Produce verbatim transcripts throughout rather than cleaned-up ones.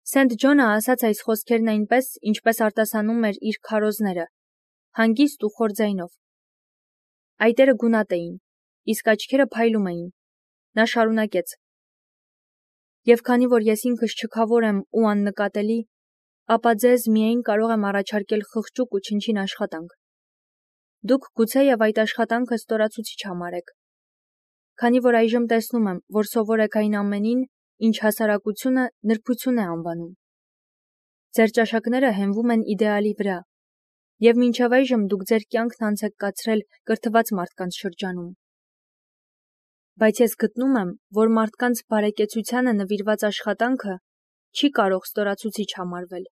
Սենթ Ջոնը ասաց այս խոսքերն այնպես, ինչպես արտասանում էր իր քարոզները, հանգիստ ու խոր ձայնով։ Այտերը գունատ էին, իսկ աչքերը փայլում էին։ Նա շարունակեց. Եվ քանի որ ես ինքս չքավոր եմ ու աննկատելի, ապա ձեզ միայն կարող եմ առաջարկել խղճուկ ու չնչին աշխատանք։ Դուք գուցեև այդ աշխատանքը ստորացուցիչ համարեք։ Քանի որ այժմ տեսնում եմ, որ սովոր եք այն ամենին, ինչ հասարակությունը նրբություն է անվանում։ Ձեր ճաշակները հենվում են իդեալի վրա, և մինչև այժմ դուք ձեր կյանքն անց եք կացրել կրթված մարդկանց շրջանում։ Բայց ես գտնում եմ, որ մարդկանց բարեկեցությանը նվիրված աշխատանքը չի կարող ստորացուցիչ համարվել։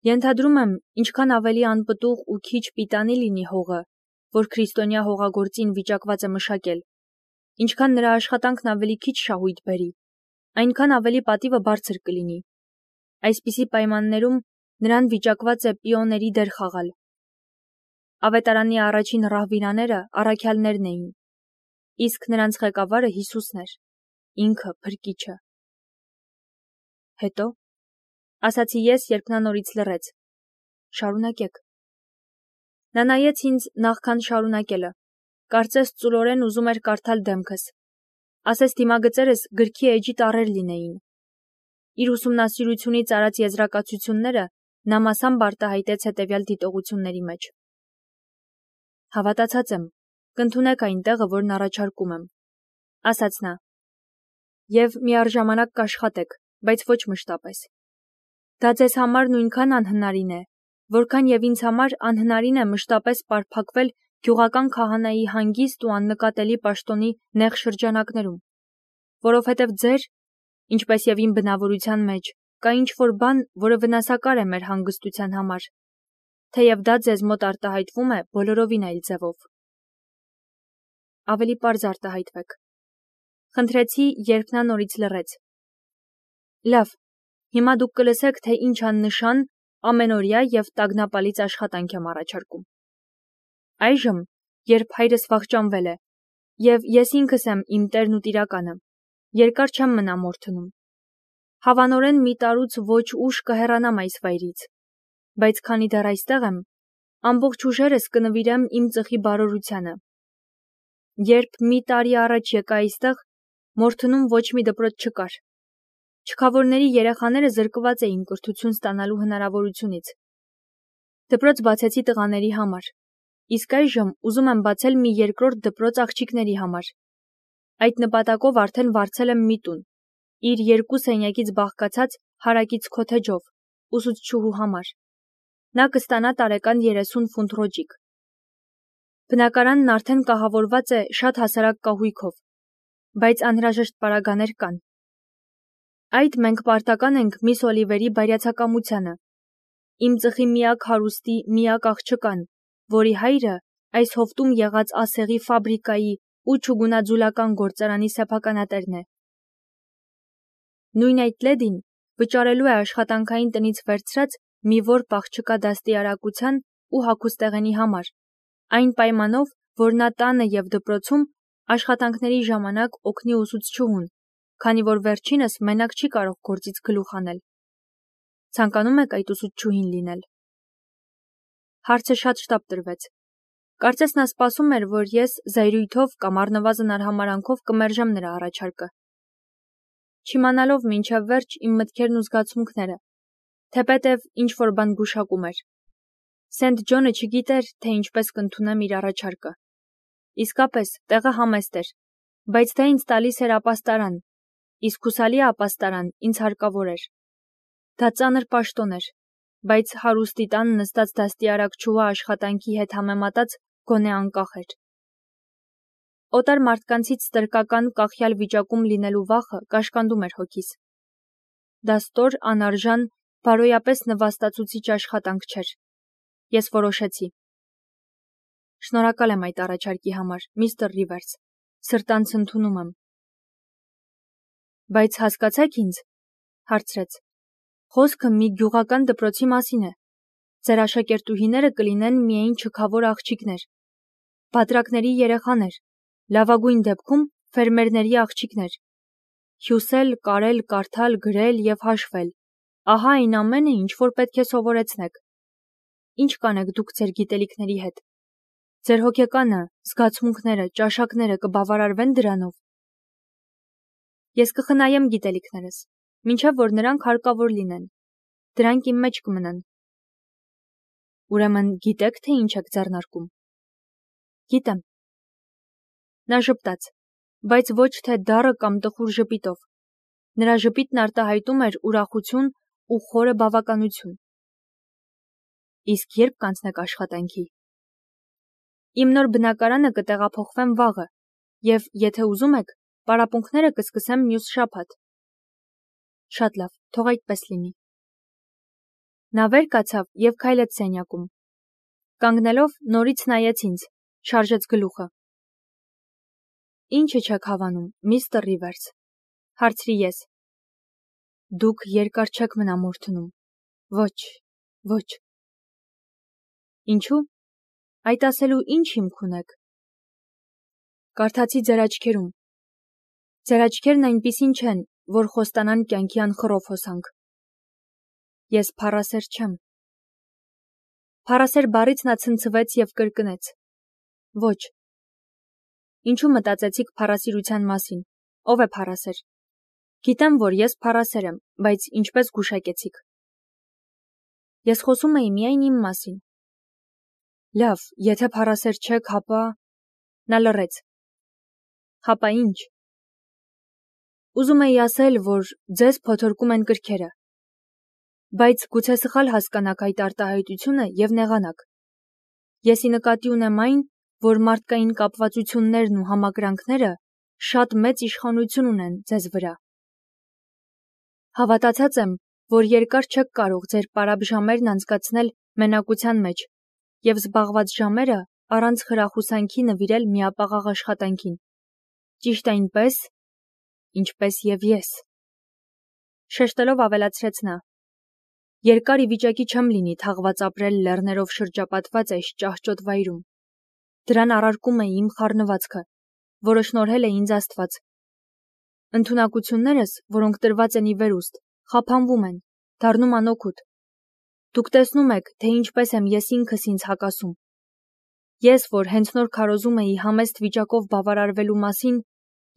Ենթադրում եմ, ինչքան ավելի անպտուղ ու քիչ պիտանի լինի հողը, որ քրիստոնյա հողագործին վիճակված է մշակել, ինչքան նրա աշխատանքն ավելի քիչ շահույթ բերի, այնքան ավելի պատիվը բարձր կլինի։ Այսպիսի պայմաններում նրան վիճակված է պիոների դեր խաղալ։ Ավետարանի առաջին ռահվիրաները առաքյալներն էին, իսկ նրանց ղեկավարը Հիսուսն էր, ինքը փրկիչը։ Հետո, ասացի ես, երբ նա նորից լռեց. Շարունակեք։ Նա նայեց ինձ նախքան շարունակելը, կարծես ծուլորեն ուզում էր կարդալ դեմքս, ասես դիմագծերս գրքի էջի տառեր լինեին։ Իր ուսումնասիրությունից արած եզրակացությունները նա մասամբ արտահայտեց հետևյալ դիտողությունների մեջ. Հավատացած եմ, կընդունեք այն տեղը, որն առաջարկում եմ, ասաց նա, և միառժամանակ կաշխատեք, բայց ոչ մշտապես։ Դա ձեզ համար նույնքան անհնարին է, որքան և ինձ համար անհնարին է մշտապես պարփակվել գյուղական քահանայի հանգիստ ու աննկատելի պաշտոնի նեղ շրջանակներում, որովհետև ձեր, ինչպես և իմ բնավորության մեջ, կա ինչ-որ բան, որը վնասակար է մեր հանգստության համար, թեև դա ձեզ մոտ արտահայտվում է բոլորովին այլ ձևով։ Ավելի պարզ արտահայտվեք։ Խնդրեցի, երբ նա նորից լռեց։ Լավ, հիմա դուք կլսեք, թե ինչ աննշան, ամենօրյա և տագնապալից աշխատանք եմ առաջարկում։ Այժմ, երբ հայրս վախճանվել է, և ես ինքս եմ իմ տերն ու տիրականը, երկար չեմ մնա Մորթնում։ Հավանորեն մի տարուց ոչ ուշ կհեռանամ այս վայրից, բայց քանի դեռ այստեղ եմ, ամբողջ ուժերս կնվիրեմ իմ ծխի բարօրությանը։ Երբ մի տարի առաջ եկա այստեղ, Մորթնում ոչ մի դպրոց չկար։ Չքավորների երեխաները զրկված էին կրթություն ստանալու հնարավորությունից։ Դպրոց բացեցի տղաների համար, իսկ այժմ ուզում եմ բացել մի երկրորդ դպրոց աղջիկների համար։ Այդ նպատակով արդեն վարձել եմ մի տուն, իր երկու սենյակից բաղկացած հարակից քոթեջով, ուսուցչուհու համար։ Նա կստանա տարեկան երեսուն ֆունտ ռոճիկ։ Բնակարանն արդեն կահավորված է շատ հասարակ կահույքով, բայց անհրաժեշտ պարագաներ կան։ Այդ մենք պարտական ենք միս Օլիվերի բայրացակամությանը, իմ ծխի միակ հարուստի միակ աղջկան, որի հայրը այս հովտում եղած ասեղի ֆաբրիկայի ու չուգունաձուլական գործարանի սեփականատերն է։ Նույն այդ լեդին վճարելու է աշխատանքային տնից վերցրած մի որբ աղջկա դաստիարակության ու հագուստեղենի համար, այն պայմանով, որ նա տանը և դպրոցում աշխատանքների ժամանակ օգնի ուսուցչուհուն, քանի որ վերջինս մենակ չի կարող գործից գլուխ հանել։ Ցանկանում եք այդ ուսուցչուհին լինել։ Հարցը շատ շտապ տրվեց։ Կարծես նա սպասում էր, որ ես զայրույթով կամ առնվազն արհամարհանքով կմերժեմ նրա առաջարկը։ Չիմանալով մինչև վերջ իմ մտքերն ու զգացմունքները, թեպետև ինչ-որ բան գուշակում էր։ Սենթ Ջոնը չգիտեր, թե ինչպես կընդունեմ իր առաջարկը։ Իսկապես, տեղը համեստ էր, բայց դա ինձ տալիս էր ապաստարան, իսկ հուսալի ապաստարան ինձ հարկավոր էր։ Դա ծանր պաշտոն էր, բայց հարուստի տան նստած դաստիարակչուհու աշխատանքի հետ համեմատած գոնե անկախ էր։ Օտար մարդկանցից ստրկական կախյալ վիճակում լինելու վախը կաշկանդում էր հոգիս։ Դա ստոր, անարժան, բարոյապես նվաստացուցիչ աշխատանք չէր։ Ես որոշեցի։ Շնորհակալ եմ այդ առաջարկի համար, միստր Ռիվերս, սրտանց ընդունում եմ։ Բայց հասկացեք ինձ, հարցրեց, խոսքը մի գյուղական դպրոցի մասին է։ Ձեր աշակերտուհիները կլինեն միայն չքավոր աղջիկներ, բատրակների երեխաներ, լավագույն դեպքում ֆերմերների աղջիկներ։ Հյուսել, կարել, կարդալ, գրել և հաշվել, Ահա այն ամենը, ինչ որ պետք է սովորեցնեք։ Ինչ կանեք դուք ձեր գիտելիքների հետ։ Ձեր հոգեկանը, զգացմունքները, ճաշակները կբավարարվեն դրանով։ Ես կխնայեմ գիտելիքներս, մինչև որ նրանք հարկավոր լինեն։ Դրանք իմ մեջ կմնան։ Ուրեմն գիտեք, թե ինչ եք ձեռնարկում։ Գիտեմ։ Նա ժպտաց, բայց ոչ թե դառը կամ տխուր ժպիտով։ Նրա ժպիտն արտահայտում էր ուրախություն ու խորը բավականություն։ Իսկ երբ կանցնեք աշխատանքի։ Իմ նոր բնակարանը կտեղափոխվեմ վաղը, եւ եթե ուզում եք, պարապմունքները կսկսեմ մյուս շաբաթ։ Շատ լավ, թող այդպես լինի։ Նա վեր կացավ եւ քայլեց սենյակում։ Կանգնելով նորից նայեց ինձ, շարժեց գլուխը։ Ինչը չեք հավանում, միստր Ռիվերս, հարցրի ես։ Դուք երկար չեք մնա մորթնում։ Ոչ, ոչ։ Ինչու՞։ Այդ ասելու ինչ հիմք ունեք։ Կարդացի ձեր աչքերում։ Ձեր աչքերն այնպիսին չեն, որ խոստանան կյանքի անխռով հոսանք։ Ես փառասեր չեմ։ Փառասեր բառից նա ցնցվեց եւ կրկնեց. Ոչ։ Ինչու մտածեցիք փառասիրության մասին։ Ով է փառասեր։ Գիտեմ, որ ես փառասեր եմ, բայց ինչպես գուշակեցիք։ Ես խոսում էի միայն իմ մասին։ Լավ, եթե փառասեր չեք, հապա… Նա լռեց։ Հապա ինչ։ Ուզում էի ասել, որ ձեզ փոթորկում են կրքերը։ Բայց գուցե սխալ հասկանաք այդ արտահայտությունը եւ նեղանաք։ Եսի նկատի ունեմ այն, որ մարդկային կապվածություններն ու համակրանքները շատ մեծ իշխանություն ունեն ձեզ վրա։ Հավատացած եմ, որ երկար չեք կարող ձեր պարապ ժամերն անցկացնել մենակության մեջ եւ զբաղված ժամերը առանց խրախուսանքի նվիրել միապաղաղ աշխատանքին։ Ճիշտ այնպես, ինչպես եւ ես։ Շեշտելով ավելացրեց նա. Երկար ի վիճակի չեմ լինի թաղված ապրել լեռներով շրջապատված այս ճահճոտ վայրում։ Դրան առարկում է իմ խառնվածքը, որը շնորհել է ինձ Աստված։ Ընդունակություններս, որոնք տրված են ի վերուստ, խափանվում են, դառնում անօգուտ։ Դուք տեսնում եք, թե ինչպես եմ ես ինքս ինձ հակասում։ Ես, որ հենց նոր քարոզում էի համեստ վիճակով բավարարվելու մասին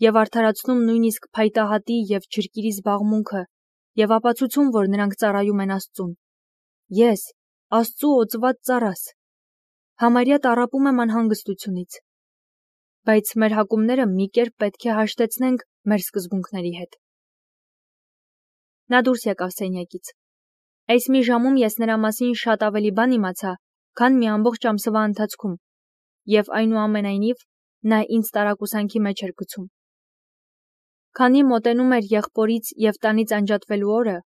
եւ արդարացնում նույնիսկ փայտահատի եւ ջրկիրի զբաղմունքը եւ ապացուցում, որ նրանք ծառայում են Աստծուն։ Ես, Աստծու օծված ծառաս, համարյա տառապում եմ անհանգստությունից։ Բայց մեր հակումները մի կերպ պետք է հաշտեցնենք մեր սկզբունքների հետ։ Նա դուրս եկավ սենյակից։ Այս մի ժամում ես նրա մասին շատ ավելի բան իմացա, քան մի ամբողջ ամսվա ընթացքում, եւ այնուամենայնիվ նա ինձ տարակուսանքի մեջ էր գցում։ Քանի մոտենում էր եղբորից եւ տանից անջատվելու օրը,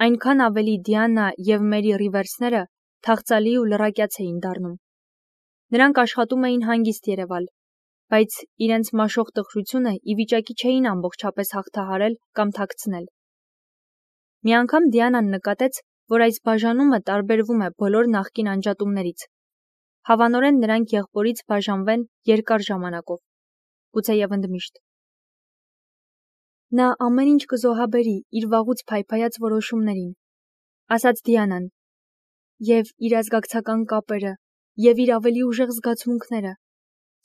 այնքան ավելի Դիանա եւ Մերի Ռիվերսները թախծալի ու լռակյաց էին դառնում։ Նրանք աշխատում էին հանգիստ երևալ, բայց իրենց մաշող տխրությունը ի վիճակի չէին ամբողջապես հաղթահարել կամ թաքցնել։ Մի անգամ Դիանան նկատեց, որ այս բաժանումը տարբերվում է բոլոր նախկին անջատումներից։ Հավանորեն նրանք եղբորից բաժանվեն երկար ժամանակով, գուցեև ընդմիշտ։ Նա ամեն ինչ կզոհաբերի իր վաղուց փայփայած որոշումներին, ասաց Դիանան, եւ իր ազգակցական կապերը, եւ իր ավելի ուժեղ զգացմունքները։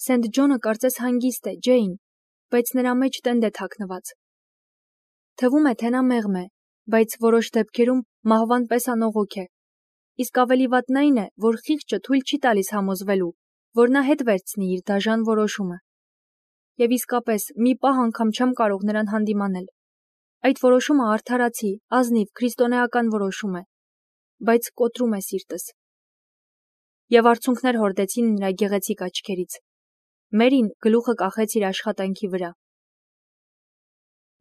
Սենթ Ջոնը կարծես հանգիստ է, Ջեյն, բայց նրա մեջ տենդ է թաքնված։ Թվում է, թե նա մեղմ է, բայց որոշ դեպքերում մահվան պես անողոք է։ Իսկ ավելի վատն այն է, որ խիղճը թույլ չի տալիս համոզվելու, որ նա հետ վերցնի իր դաժան որոշումը։ Եվ իսկապես մի պահ անգամ չեմ կարող նրան հանդիմանել։ Այդ որոշումը արդարացի, ազնիվ, քրիստոնեական որոշում է, բայց կոտրում է սիրտս։ Եվ արցունքներ հորդեցին նրա գեղեցիկ աչքերից։ Մերին գլուխը կախեց իր աշխատանքի վրա։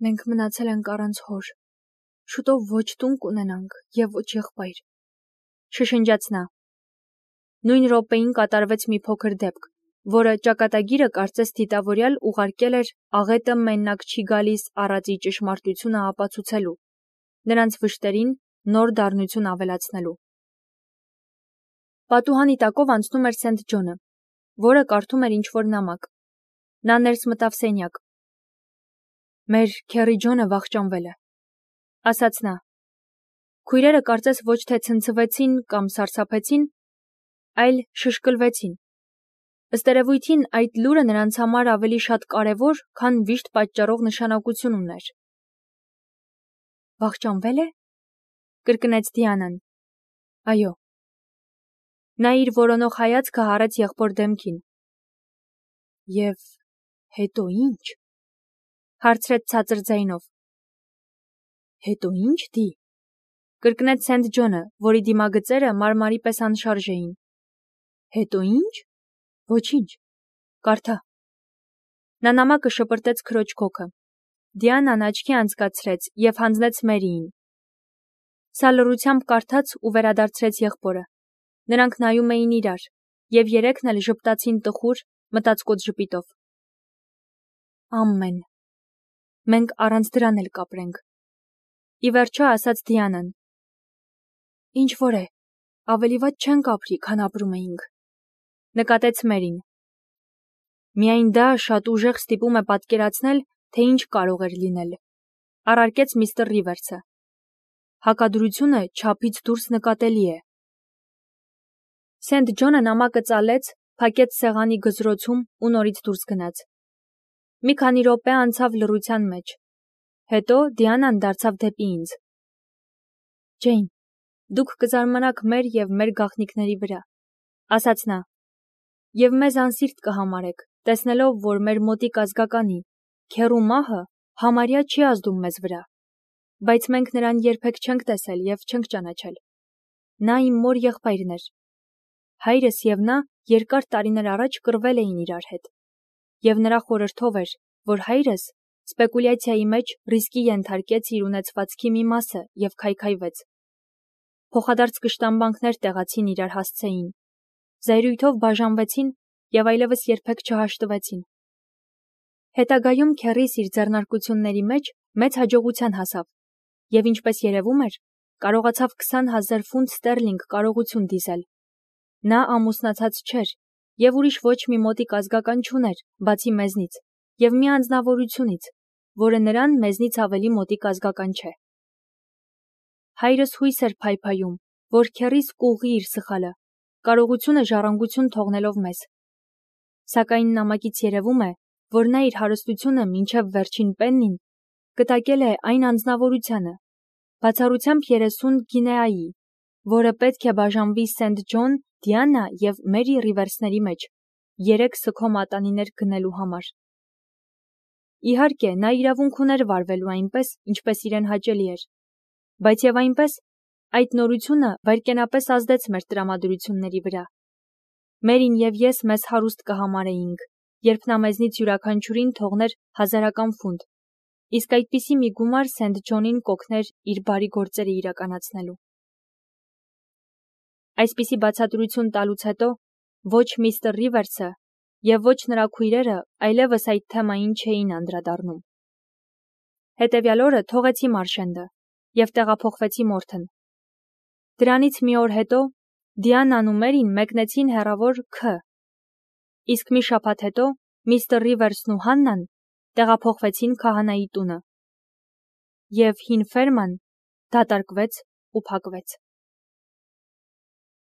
Մենք մնացել ենք առանց հոր։ Շուտով ոչ տուն կունենանք եւ ոչ եղբայր, շշնջաց նա։ Նույն րոպեին կատարվեց մի փոքր դեպք, որը ճակատագիրը կարծես դիտավորյալ ուղարկել էր աղետը մենակ չի գալիս առածի ճշմարտությունը ապացուցելու, նրանց վշտերին նոր դառնություն ավելացնելու։ Պատուհանի տակով անցնում էր Սենթ Ջոնը, որը կարդում էր ինչ-որ նամակ։ Նա ներս մտավ սենյակ։ Մեր Քերի Ջոնը վախճանվել է, ասաց նա։ Քույրերը կարծես ոչ թե ցնցվեցին կամ սարսափեցին, այլ շշկլվեցին։ Ըստ երևույթին այդ լուրը նրանց համար ավելի շատ կարևոր, քան վիշտ պատճառող նշանակություն ուներ։ Վախճանվե՞լ է, կրկնեց Դիանան։ Այո։ Նա իր որոնող հայացքը հառեց եղբոր դեմքին։ Եվ հետո ի՞նչ, հարցրեց ցածր ձայնով։ Հետո ի՞նչ, Դի, կրկնեց Սենթ Ջոնը, որի դիմագծերը մարմարի պես անշարժ էին։ Հետո ի՞նչ, ոչինչ, կարդա։ Նա նամակը շպրտեց քրոջ քոքը։ Դիանան աչքի անցկացրեց և հանձնեց Մերիին։ Սա լռությամբ կարդաց ու վերադարձրեց եղբորը։ Նրանք նայում էին իրար, և երեքն էլ ժպտացին տխուր, մտածկոտ ժպիտով։ Ամեն։ Մենք առանց դրան էլ կապրենք։ Ի վերջո ասաց Դիանան։ Ինչ որ է, ավելի վատ չենք ապրի, քան ապրում էինք։ Նկատեց Մերին։ Միայն դա շատ ուժեղ ստիպում է պատկերացնել, թե ինչ կարող էր լինել, առարկեց միստր Ռիվերսը։ Հակադրությունը չափից դուրս նկատելի է։ Սենթ Ջոնը նամակը ծալեց, փակեց սեղանի գզրոցում ու նորից դուրս գնաց։ Մի քանի րոպե անցավ լռության մեջ։ Հետո Դիանան դարձավ դեպի ինձ։ Ջեյն, դուք կզարմանաք մեր և մեր գաղտնիքների վրա, ասաց նա, և մեզ անսիրտ կհամարեք, տեսնելով, որ մեր մոտիկ ազգականի, քեռու մահը համարյա չի ազդում մեզ վրա, բայց մենք նրան երբեք չենք տեսել և չենք ճանաչել։ Նա իմ մոր եղբայրն էր։ Հայրս և նա երկար տարիներ առաջ կռվել էին իրար հետ, և նրա խորհրդով էր, որ հայրս սպեկուլյացիայի մեջ ռիսկի ենթարկեց իր ունեցվածքի մի մասը և քայքայվեց։ Փոխադարձ կշտամբանքներ տեղացին իրար հասցեին, զայրույթով բաժանվեցին և այլևս երբեք չհաշտվեցին։ Հետագայում քեռիս իր ձեռնարկությունների մեջ մեծ հաջողության հասավ, և ինչպես երևում էր, կարողացավ քսան հազար ֆունտ ստերլինգ կարողություն դիզել։ Նա ամուսնացած չէր և ուրիշ ոչ մի մոտիկ ազգական չուներ, բացի մեզնից, և մի անձնավորությունից, որը նրան մեզնից ավելի մոտիկ ազգական չէ։ Հայրս հույս էր փայփայում, որ քեռիս կուղղի իր սխալը, կարողությունը ժառանգություն թողնելով մեզ։ Սակայն նամակից երևում է, որ նա իր հարստությունը մինչև վերջին պեննին կտակել է այն անձնավորությանը, բացառությամբ երեսուն գինեայի, որը պետք է բաժանվի Սենթ Ջոն, Դիանա և Մերի Ռիվերսների մեջ, երեք սգո մատանիներ գնելու համար։ Իհարկե, նա իրավունք ուներ վարվելու այնպես, ինչպես իրեն հաճելի էր, բայց և այնպես, այդ նորությունը վայրկենապես ազդեց մեր տրամադրությունների վրա։ Մերին և ես մեզ հարուստ կհամարեինք, երբ նա մեզնից յուրաքանչյուրին թողներ հազարական ֆունտ, իսկ այդպիսի մի գումար Սենթ Ջոնին կօգներ իր բարի գործերը իրականացնելու։ Այսպիսի բացատրություն տալուց հետո ոչ միստր Ռիվերսը և ոչ նրա քույրերը այլևս այդ թեմային չէին անդրադառնում։ Հետևյալ օրը թողեցի Մարշենդը և տեղափոխվեցի Մորթեն։ Դրանից մի օր հետո Դիանան ու Մերին մեկնեցին հեռավոր Ք. Իսկ մի շաբաթ հետո միստր Ռիվերսն ու Հաննան տեղափոխվեցին քահանայի տունը։ Եվ հին ֆերման դատարկվեց ու փակվեց։